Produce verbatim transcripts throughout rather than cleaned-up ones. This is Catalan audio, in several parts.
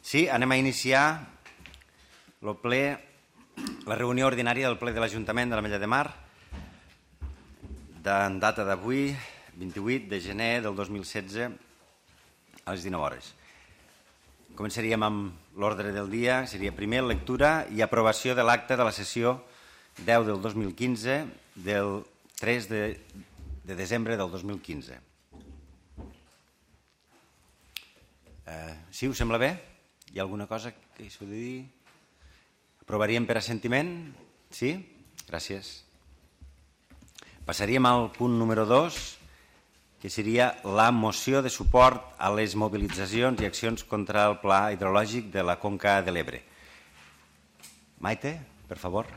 Sí, anem a iniciar el ple, la reunió ordinària del ple de l'Ajuntament de l'Ametlla de Mar, en data d'avui, vint-i-vuit de gener del dos mil setze, a les dinou hores. Començaríem amb l'ordre del dia, seria primer lectura i aprovació de l'acte de la sessió deu del dos mil quinze, del tres de desembre del dos mil quinze. Eh, sí, us sembla bé? Hi ha alguna cosa que s'ho de dir? Aprovaríem per assentiment? Sí? Gràcies. Passaríem al punt número dos, que seria la moció de suport a les mobilitzacions i accions contra el pla hidrològic de la Conca de l'Ebre. Maite, per favor.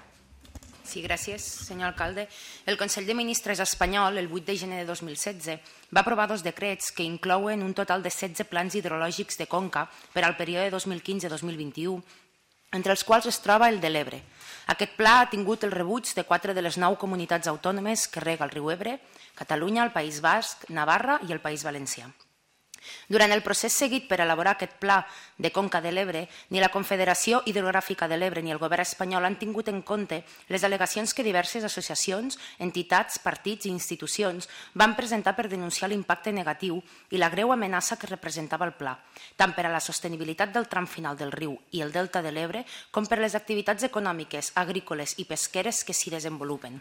Sí, gràcies, senyor alcalde. El Consell de Ministres espanyol, el vuit de gener de dos mil setze, va aprovar dos decrets que inclouen un total de setze plans hidrològics de conca per al període dos mil quinze a dos mil vint-i-u, entre els quals es troba el de l'Ebre. Aquest pla ha tingut el rebuig de quatre de les nou comunitats autònomes que rega el riu Ebre, Catalunya, el País Basc, Navarra i el País Valencià. Durant el procés seguit per elaborar aquest pla de Conca de l'Ebre, ni la Confederació Hidrogràfica de l'Ebre ni el govern espanyol han tingut en compte les al·legacions que diverses associacions, entitats, partits i institucions van presentar per denunciar l'impacte negatiu i la greu amenaça que representava el pla, tant per a la sostenibilitat del tram final del riu i el delta de l'Ebre com per les activitats econòmiques, agrícoles i pesqueres que s'hi desenvolupen.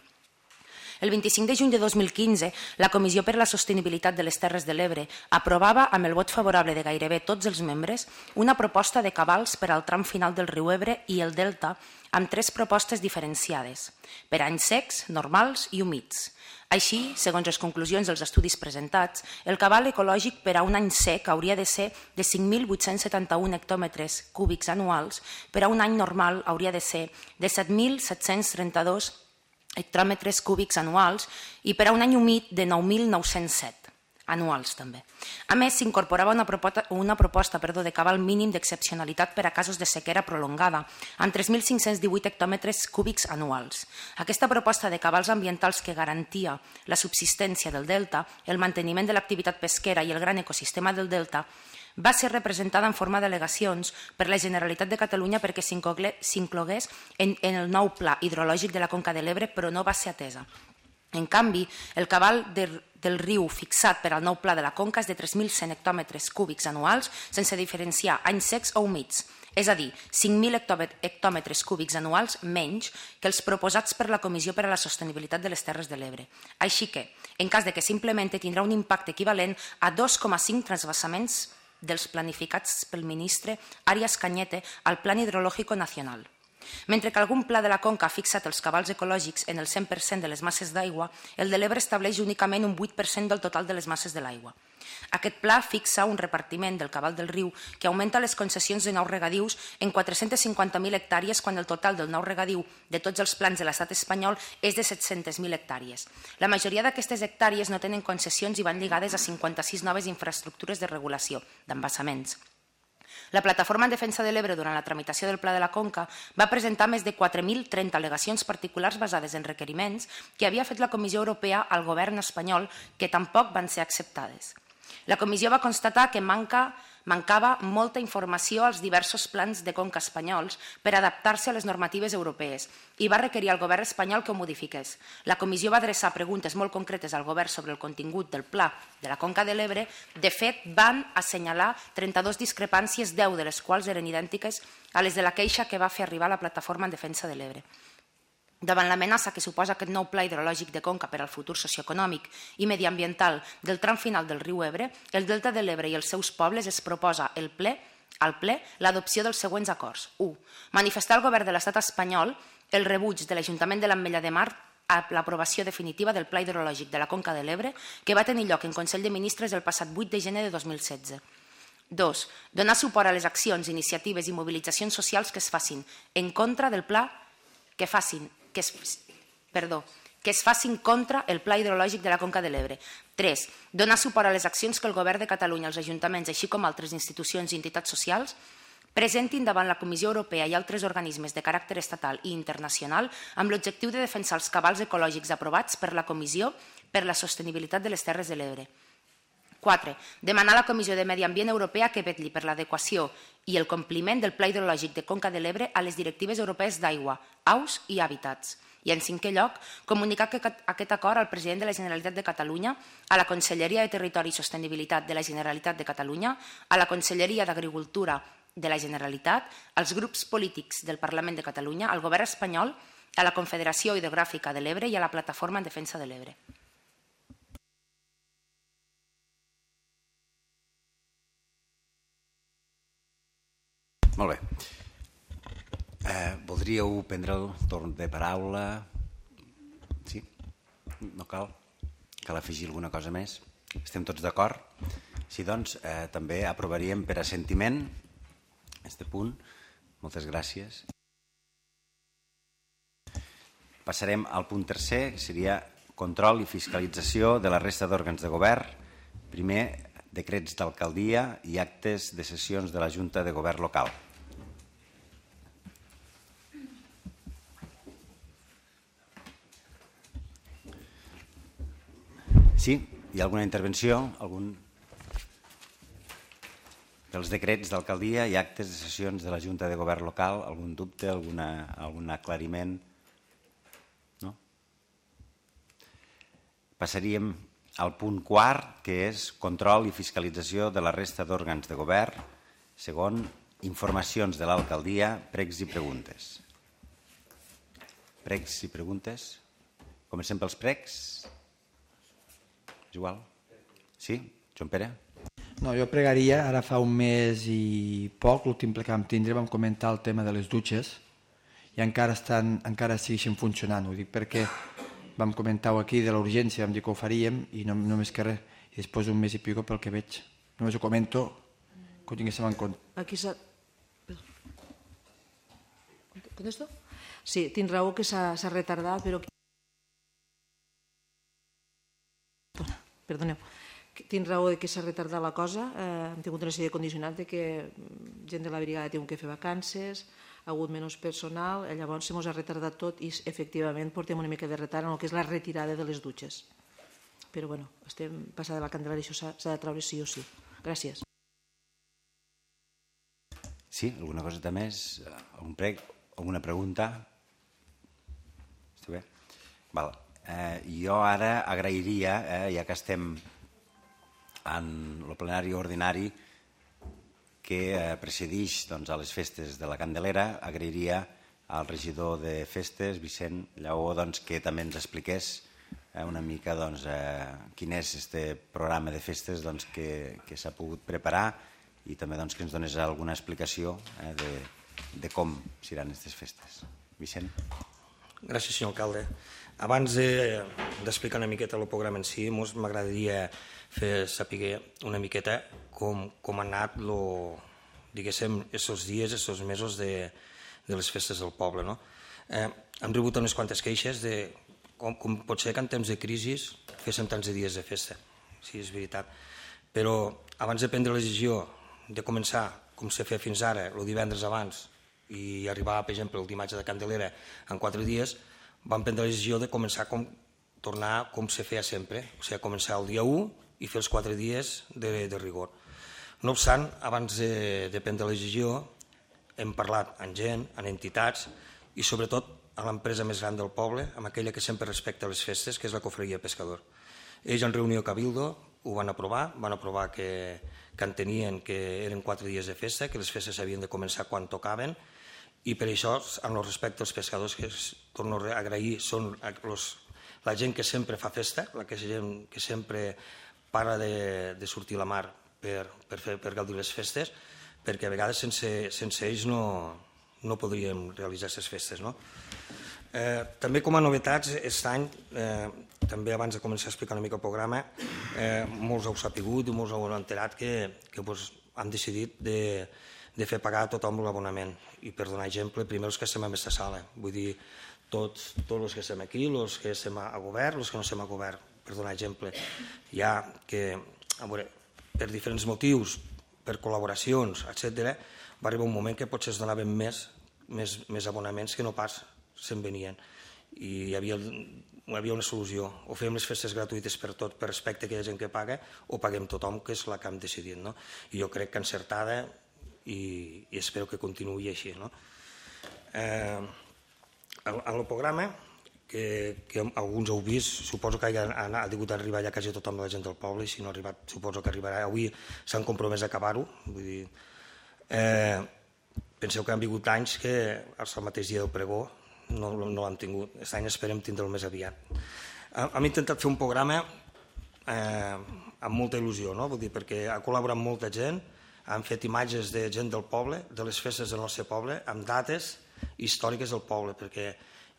El vint-i-cinc de juny de dos mil quinze, la Comissió per a la Sostenibilitat de les Terres de l'Ebre aprovava, amb el vot favorable de gairebé tots els membres, una proposta de cabals per al tram final del riu Ebre i el delta amb tres propostes diferenciades, per anys secs, normals i humits. Així, segons les conclusions dels estudis presentats, el cabal ecològic per a un any sec hauria de ser de cinc mil vuit-cents setanta-un hectòmetres cúbics anuals, per a un any normal hauria de ser de set mil set-cents trenta-dos hectòmetres cúbics anuals i per a un any humit de nou mil nou-cents set anuals també. A més, s'incorporava una proposta, una proposta perdó, de cabal mínim d'excepcionalitat per a casos de sequera prolongada, amb tres mil cinc-cents divuit hectòmetres cúbics anuals. Aquesta proposta de cabals ambientals que garantia la subsistència del delta, el manteniment de l'activitat pesquera i el gran ecosistema del delta, va ser representada en forma d'al·legacions per la Generalitat de Catalunya perquè s'inclogués en, en el nou pla hidrològic de la Conca de l'Ebre, però no va ser atesa. En canvi, el cabal de, del riu fixat per al nou pla de la Conca és de tres mil cent hectòmetres cúbics anuals, sense diferenciar anys secs o humits, és a dir, cinc mil hectòmetres cúbics anuals menys que els proposats per la Comissió per a la Sostenibilitat de les Terres de l'Ebre. Així que, en cas de que s'implemente, tindrà un impacte equivalent a dos coma cinc transvasaments dels planificats pel ministre Arias Cañete al Plan Hidrológico Nacional. Mentre que algun pla de la Conca ha fixat els cabals ecològics en el cent per cent de les masses d'aigua, el de l'Ebre estableix únicament un vuit per cent del total de les masses de l'aigua. Aquest pla fixa un repartiment del cabal del riu que augmenta les concessions de nous regadius en quatre-cents cinquanta mil hectàrees quan el total del nou regadiu de tots els plans de l'estat espanyol és de set-centes mil hectàrees. La majoria d'aquestes hectàrees no tenen concessions i van lligades a cinquanta-sis noves infraestructures de regulació d'embassaments. La Plataforma en Defensa de l'Ebre, durant la tramitació del Pla de la Conca, va presentar més de quatre mil trenta al·legacions particulars basades en requeriments que havia fet la Comissió Europea al govern espanyol que tampoc van ser acceptades. La Comissió va constatar que manca, mancava molta informació als diversos plans de conca espanyols per adaptar-se a les normatives europees i va requerir al govern espanyol que ho modifiqués. La Comissió va adreçar preguntes molt concretes al govern sobre el contingut del pla de la Conca de l'Ebre. De fet, van assenyalar trenta-dues discrepàncies, deu de les quals eren idèntiques a les de la queixa que va fer arribar la Plataforma en Defensa de l'Ebre. Davant l'amenaça que suposa aquest nou pla hidrològic de conca per al futur socioeconòmic i mediambiental del tram final del riu Ebre, el delta de l'Ebre i els seus pobles es proposa el ple, al ple l'adopció dels següents acords. u. Manifestar al govern de l'estat espanyol el rebuig de l'Ajuntament de l'Ametlla de Mar a l'aprovació definitiva del pla hidrològic de la Conca de l'Ebre que va tenir lloc en Consell de Ministres el passat vuit de gener de dos mil setze. dos. Donar suport a les accions, iniciatives i mobilitzacions socials que es facin en contra del pla que facin Que es, perdó, que es facin contra el pla hidrològic de la Conca de l'Ebre. tres. Donar suport a les accions que el govern de Catalunya, els ajuntaments, així com altres institucions i entitats socials, presentin davant la Comissió Europea i altres organismes de caràcter estatal i internacional amb l'objectiu de defensar els cabals ecològics aprovats per la Comissió per la Sostenibilitat de les Terres de l'Ebre. quatre. Demanar a la Comissió de Medi Ambient Europea que vetlli per l'adequació i el compliment del Pla Hidrològic de Conca de l'Ebre a les directives europees d'aigua, aus i hàbitats. I en cinquè lloc, comunicar aquest acord al president de la Generalitat de Catalunya, a la Conselleria de Territori i Sostenibilitat de la Generalitat de Catalunya, a la Conselleria d'Agricultura de la Generalitat, als grups polítics del Parlament de Catalunya, al Govern espanyol, a la Confederació Hidrogràfica de l'Ebre i a la Plataforma en Defensa de l'Ebre. Molt bé. Eh, voldríeu prendre el torn de paraula? Sí? No cal? Cal afegir alguna cosa més? Estem tots d'acord? Sí, doncs, eh, també aprovaríem per assentiment aquest punt. Moltes gràcies. Passarem al punt tercer, que seria control i fiscalització de la resta d'òrgans de govern. Primer, decrets d'alcaldia i actes de sessions de la Junta de Govern local. Sí? Hi ha alguna intervenció? Algun dels decrets d'alcaldia i actes de sessions de la Junta de Govern local? Algun dubte, alguna, algun aclariment? No? Passaríem al punt quart, que és control i fiscalització de la resta d'òrgans de govern. Segon, informacions de l'alcaldia, pregs i preguntes. Pregs i preguntes? Comencem pels pregs? És igual? Sí? Joan Pere? No, jo pregaria, ara fa un mes i poc, l'últim ple que vam tindre, vam comentar el tema de les dutxes i encara, estan, encara segueixen funcionant. Ho dic perquè vam comentar-ho aquí de la urgència, vam dir que ho faríem i no, només que res. I després d'un mes i pico pel que veig. Només ho comento, que ho tinguéssim en compte. Aquí s'ha... ¿Contesto? Sí, tinc raó que s'ha retardat, però... Perdoneu. Tinc raó que s'ha retardat la cosa. Hem tingut una sèrie de condicionants de que gent de la brigada ha tingut que fer vacances, ha hagut menys personal, llavors se mos ha retardat tot i efectivament portem una mica de retard en el que és la retirada de les dutxes. Però bueno, estem passada la candela i això s'ha de treure sí o sí. Gràcies. Sí, alguna cosa més? Algun prec? Alguna pregunta? Està bé? Val. Eh, jo ara agrairia, eh, ja que estem en el plenari ordinari que eh, precedeix doncs, a les festes de la Candelera, agrairia al regidor de festes, Vicent Lleó, doncs, que també ens expliqués eh, una mica doncs, eh, quin és aquest programa de festes doncs, que, que s'ha pogut preparar i també doncs, que ens donés alguna explicació eh, de, de com seran aquestes festes. Vicent? Gràcies, senyor alcalde. Abans d'explicar una miqueta el programa en si, m'agradaria fer saber una miqueta com, com han anat lo, diguéssim, aquests dies, aquests mesos de, de les festes del poble. No? Eh, hem rebut unes quantes queixes de com, com pot ser que en temps de crisi féssim tants de dies de festa. Sí, és veritat. Però abans de prendre la decisió de començar, com s'ha fet fins ara, el divendres abans, i arribar, per exemple, el dimarts de Candelera en quatre dies, vam prendre la decisió de començar com tornar com se feia sempre, o sigui, començar el dia u i fer els quatre dies de, de rigor. No obstant, abans de, de prendre la decisió, hem parlat amb gent, amb entitats i sobretot a l'empresa més gran del poble, amb aquella que sempre respecta les festes, que és la Cofreria Pescador. Ells en reunió Cabildo ho van aprovar, van aprovar que, que entenien que eren quatre dies de festa, que les festes havien de començar quan tocaven, i per això, en el respecte als pescadors, que torno a agrair, són los, la gent que sempre fa festa, la que, gent que sempre para de, de sortir a la mar per, per, fer, per gaudir les festes, perquè a vegades sense, sense ells no, no podríem realitzar aquestes festes. No? Eh, també com a novetats, aquest any, eh, també abans de començar a explicar una mica el programa, eh, molts heu sapigut i molts heu enterat que, que pues, han decidit de de fer pagar a tothom l'abonament. I per donar exemple, primer els que estem en aquesta sala, vull dir, tots, tots els que estem aquí, els que estem a govern, els que no estem a govern, per donar exemple. Hi ha que, a veure, per diferents motius, per col·laboracions, etcètera, va arribar un moment que potser es donaven més, més, més abonaments que no pas se'n venien. i hi havia, hi havia una solució. O fem les festes gratuïtes per tot, per respecte a aquella gent que paga, o paguem tothom, que és la que hem decidit. No? I jo crec que encertada, i, i espero que continuï així. No? Eh, en el programa, que, que alguns heu vist, suposo que ha, ha hagut d'arribar ja quasi tothom de la gent del poble, i si no ha arribat, suposo que arribarà. Avui s'han compromès a acabar-ho. Vull dir, eh, penseu que han vingut anys que el mateix dia del pregó no, no l'han tingut. Aquest any esperem tindre'l més aviat. Hem intentat fer un programa eh, amb molta il·lusió, no? Vull dir, perquè ha col·laborat molta gent, han fet imatges de gent del poble, de les festes del nostre poble, amb dates històriques del poble, perquè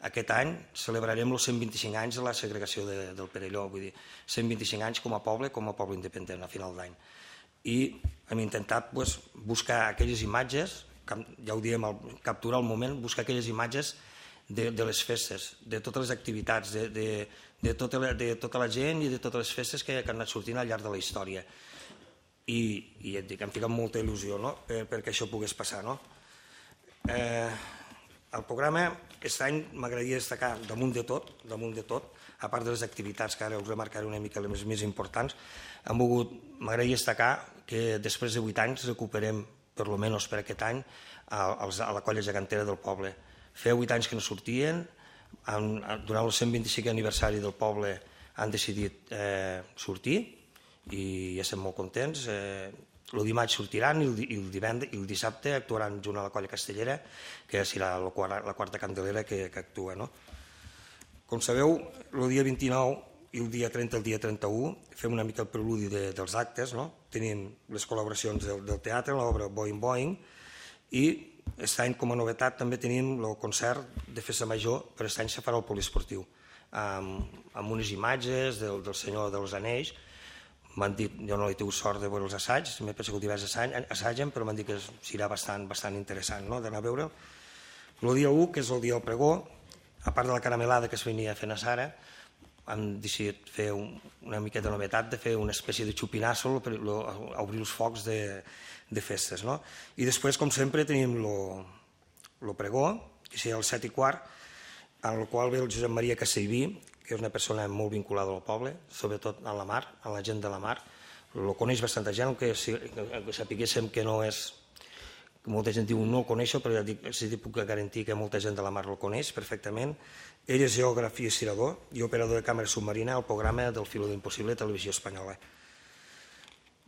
aquest any celebrarem els cent vint-i-cinc anys de la segregació de, del Perelló, vull dir, cent vint-i-cinc anys com a poble, com a poble independent a final d'any. I hem intentat pues, buscar aquelles imatges, ja ho diem, capturar el moment, buscar aquelles imatges de, de les festes, de totes les activitats, de, de, de, tota la, de tota la gent i de totes les festes que, que han anat sortint al llarg de la història. I, i et dic, em fica molta il·lusió, no? per, perquè això pogués passar. No? Eh, el programa, aquest any m'agradaria destacar damunt de tot, damunt de tot, a part de les activitats que ara us remarcaré una mica les més importants, m'agradaria destacar que després de vuit anys recuperem, per lo menys per aquest any, a, a la colla gegantera del poble. Feia vuit anys que no sortien, han, durant el cent vint-i-cinquè aniversari del poble han decidit eh, sortir, i ja estem molt contents. Eh, el dimarts sortiran i el, i el divendres i el dissabte actuaran junt a la colla castellera, que serà la, la quarta candelera que, que actua. No? Com sabeu, el dia vint-i-nou i el dia trenta, el dia trenta-u, fem una mica el preludi de, dels actes, no? Tenim les col·laboracions del, del teatre, l'obra Boing Boing, i aquest any com a novetat també tenim el concert de festa major, però aquest any se farà el poliesportiu, amb, amb unes imatges del, del senyor dels anells. M'han dit, jo no he tingut sort de veure els assaigs, m'he pensat que divers assaigen, però m'han dit que serà bastant, bastant interessant, no?, d'anar a veure'l. El dia u, que és el dia del pregó, a part de la caramelada que es venia fent a Sara, hem decidit fer un, una miqueta de novetat, de fer una espècie de xupinasso per lo, obrir els focs de, de festes. No? I després, com sempre, tenim el pregó, que serà el set i quart, en el qual ve el Josep Maria Castellví, que és una persona molt vinculada al poble, sobretot a la mar, a la gent de la mar. Lo coneix bastanta gent, que, si, que sapiguéssim que no és... Molta gent diu no el coneixo, però ja dic, sí, puc garantir que molta gent de la mar el coneix perfectament. Ell és geògraf i estirador i operador de càmera submarina al programa del Filo d'Impossible de Televisió Espanyola.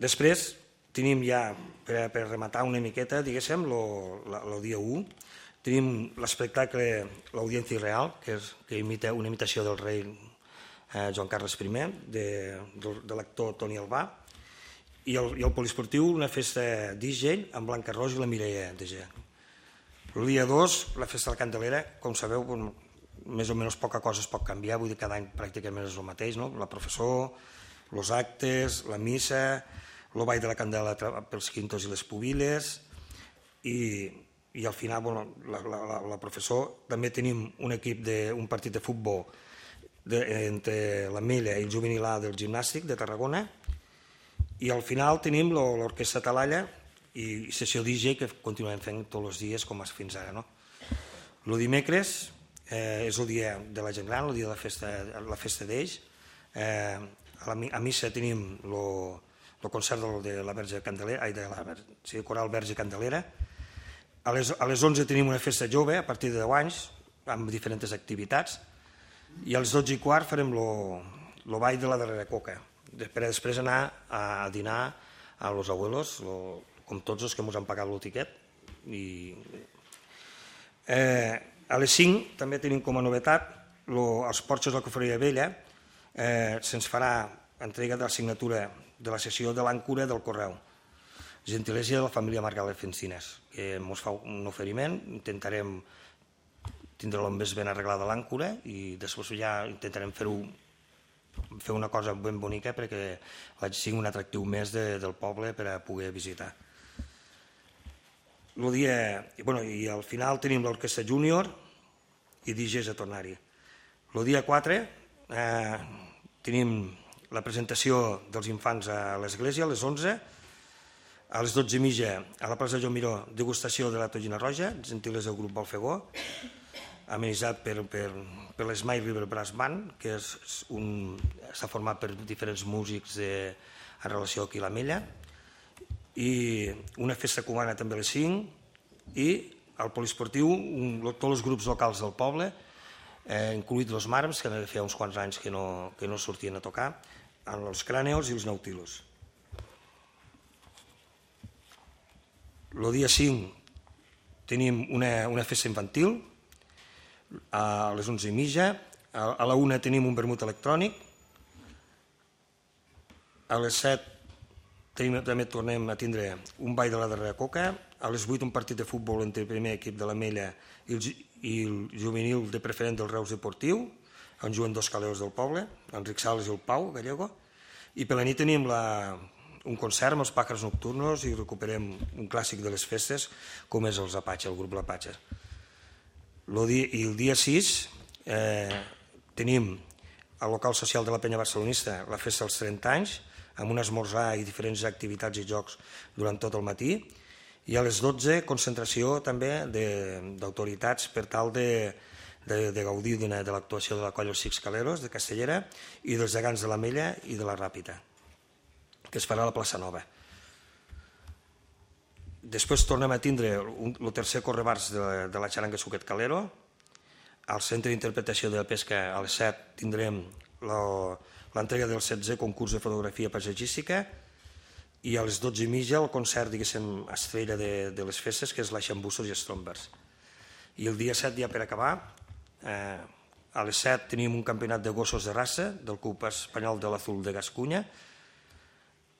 Després tenim ja, per, per rematar una miqueta, diguéssim, el dia u, tenim l'espectacle L'Audiència Real, que, és, que imita una imitació del rei eh, Joan Carles I, de, de, de l'actor Toni Albà, i el, i el poliesportiu, una festa d'I J amb Blanca Roig i la Mireia de G. El dia dos, la festa de la Candelera, com sabeu, més o menys poca cosa es pot canviar, vull dir, cada any pràcticament és el mateix, no? La professó, els actes, la missa, el ball de la candela pels quintos i les pubiles, i, i al final, bueno, la, la, la, la professó, també tenim un equip, de, un partit de futbol de, entre la Milla i el juvenil A del gimnàstic de Tarragona, i al final tenim l'orquestra Talalla i sessió D J que continuem fent tots els dies com fins ara. No? El dimecres eh, és el dia de la gent gran, el dia de la festa, la festa d'ells. Eh, a, la, a missa tenim el concert de la Verge Candelera, ai, de la sí, Coral Verge Candelera. A les, a les onze tenim una festa jove a partir de deu anys amb diferents activitats i als dotze i quart farem el ball de la darrera coca, per després anar a dinar a los abuelos, lo, com tots els que ens han pagat el tiquet. I, eh, a les cinc també tenim com a novetat lo, els porxos de la Cofreria Vella, eh, se'ns farà entrega de la signatura de la sessió de l'àncora del correu. Gentilesa de la família Margalef Encines, que ens fa un oferiment, intentarem tindre-lo més ben arreglada l'àncora i després ja intentarem fer-ho fer una cosa ben bonica perquè sigui un atractiu més de, del poble per a poder visitar. El dia, bueno, i al final tenim l'orquestra júnior i D Js a tornar-hi. El dia quatre eh, tenim la presentació dels infants a l'església a les onze, a les dotze i mitja a la plaça Joan Miró, degustació de la tonyina roja, gentilesa del grup Balfegó, amenitzat per, per, per l'Smile River Brass Band, que s'ha format per diferents músics de, en relació aquí a l'Ametlla, i una festa cubana també a les cinc, i al poliesportiu un, tots els grups locals del poble, eh, incluït els Marms, que feia uns quants anys que no, que no sortien a tocar, els Cràneos i els Nautilos. El dia cinc tenim una, una festa infantil, a les onze i mitja, a la una tenim un vermut electrònic, a les set tenim, també tornem a tindre un ball de la darrera coca, a les vuit un partit de futbol entre el primer equip de l'Ametlla i, i el juvenil de preferent del Reus Deportiu, on juguen dos caleos del poble, l'Enric Sales i el Pau Gallego, i per la nit tenim la, un concert amb els Pàjars Nocturnos i recuperem un clàssic de les festes com és els Apache, el grup l'Apache. I el dia sis eh, tenim al local social de la Penya Barcelonista la festa dels trenta anys, amb un esmorzar i diferents activitats i jocs durant tot el matí, i a les dotze concentració també d'autoritats per tal de, de, de gaudir de l'actuació de la colla Els Six Caleros de Castellera i dels gegants de l'Ametlla i de la Ràpita, que es farà a la plaça Nova. Després tornem a tindre el tercer correbars de, de la xaranga Suquet Calero. Al centre d'interpretació de la pesca a les set tindrem l'entrega del setzè concurs de fotografia paisatgística i a les dotze i mitja el concert, diguéssim, estrella de, de les festes, que és la Xambussos i Strombers. I el dia set, ja per acabar, eh, a les set tenim un campionat de gossos de raça del Club Espanyol de l'Azul de Gascunya.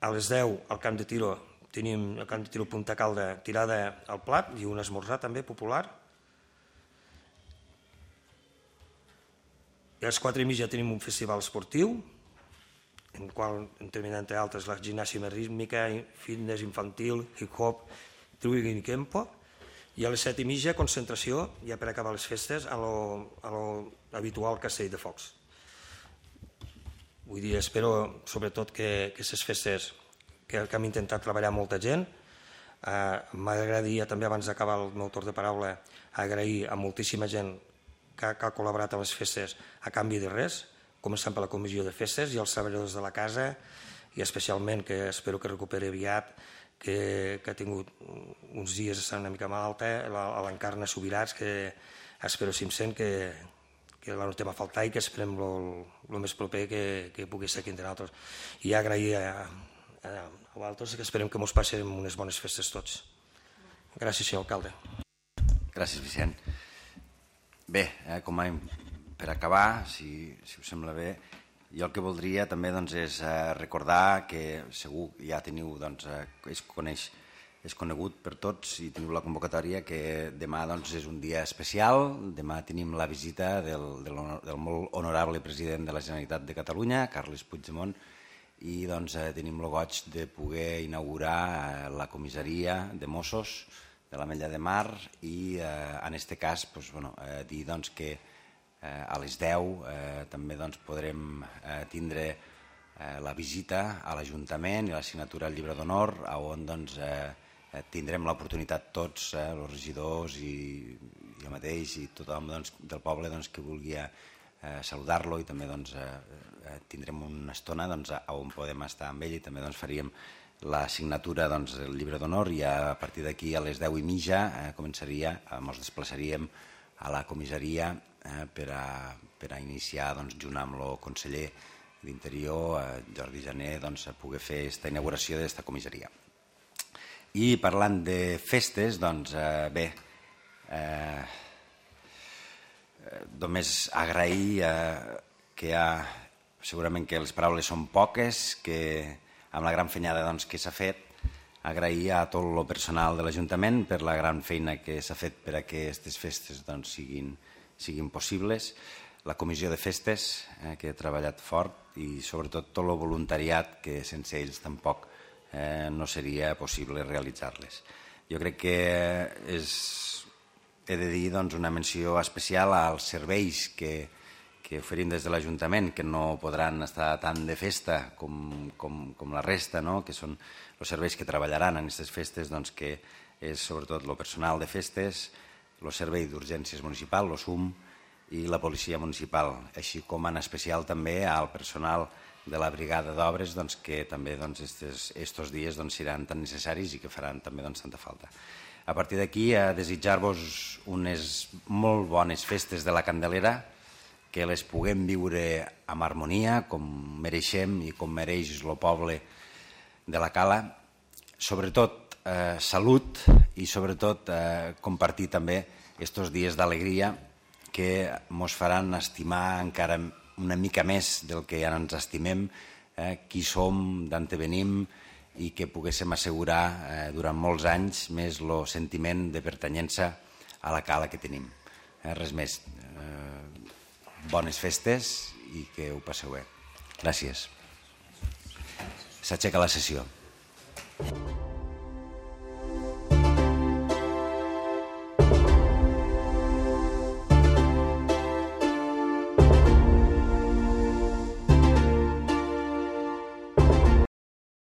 A les deu, al camp de tiro, tenim el camp de tiro Punta Calda tirada al plat i un esmorzar també popular. I a les quatre i mitja tenim un festival esportiu, en el qual intervenen entre altres la gimnàsia rítmica, fitness infantil, hip-hop, twigging i kempo. I a les set i mitja concentració, ja per acabar les festes, a l'habitual castell de focs. Vull dir, espero sobretot que aquestes festes que hem intentat treballar molta gent. Eh, M'agradaria també, abans d'acabar el meu torn de paraula, agrair a moltíssima gent que, que ha col·laborat a les festes a canvi de res, començant per la comissió de festes i els treballadors de la casa, i especialment, que espero que recuperi aviat, que, que ha tingut uns dies una mica malalta, l'Encarna Subirats, que espero cinc-cents que, que la notem a faltar i que esperem el més proper que, que pugui ser aquí entre nosaltres. I agrair a, a, a vosaltres, que esperem que ens passem unes bones festes tots. Gràcies, senyor alcalde. Gràcies, Vicent. Bé, eh, com a, per acabar, si, si us sembla bé, jo el que voldria també doncs, és eh, recordar que segur ja teniu, doncs, eh, es coneix, és conegut per tots i teniu la convocatòria, que demà doncs, és un dia especial. Demà tenim la visita del, del, del molt honorable president de la Generalitat de Catalunya, Carles Puigdemont, i doncs, eh, tenim el goig de poder inaugurar eh, la comissaria de Mossos de l'Ametlla de Mar i eh, en aquest cas doncs, bueno, eh, dir doncs, que eh, a les deu eh, també doncs, podrem eh, tindre eh, la visita a l'Ajuntament i la signatura del llibre d'honor, on doncs, eh, tindrem l'oportunitat tots, eh, els regidors i jo mateix i tothom doncs, del poble doncs, que vulgui eh, saludar-lo, i també doncs, eh, tindrem una estona doncs, on podem estar amb ell, i també doncs, faríem la signatura doncs, del llibre d'honor, i a partir d'aquí a les deu i mitja eh, començaria, eh, ens desplaçaríem a la comissaria eh, per, a, per a iniciar doncs, junt amb el conseller d'Interior, eh, Jordi Jané, doncs, a poder fer aquesta inauguració d'aquesta comissaria. I parlant de festes, doncs eh, bé, eh, només agrair eh, que hi ha, segurament que les paraules són poques, que amb la gran fenyada doncs, que s'ha fet, agrair a tot el personal de l'Ajuntament per la gran feina que s'ha fet per a que aquestes festes doncs, siguin, siguin possibles, la comissió de festes, eh, que ha treballat fort, i sobretot tot el voluntariat, que sense ells tampoc eh, no seria possible realitzar-les. Jo crec que és, he de dir doncs, una menció especial als serveis que que oferim des de l'Ajuntament, que no podran estar tant de festa com, com, com la resta, no? Que són els serveis que treballaran en aquestes festes, doncs, que és sobretot el personal de festes, el Servei d'Urgències Municipal, el S U M, i la Policia Municipal, així com en especial també al personal de la Brigada d'Obres, doncs, que també aquests dies seran tan necessaris i que faran també tanta falta. A partir d'aquí, a desitjar-vos unes molt bones festes de la Candelera, que les puguem viure amb harmonia, com mereixem i com mereix el poble de la Cala, sobretot eh, salut i sobretot eh, compartir també aquests dies d'alegria que ens faran estimar encara una mica més del que ja ens estimem, eh, qui som, d'on venim, i que poguéssim assegurar eh, durant molts anys més el sentiment de pertanyença a la Cala que tenim. Eh, res més. Eh, bones festes i que ho passeu bé. Gràcies. S'aixeca la sessió.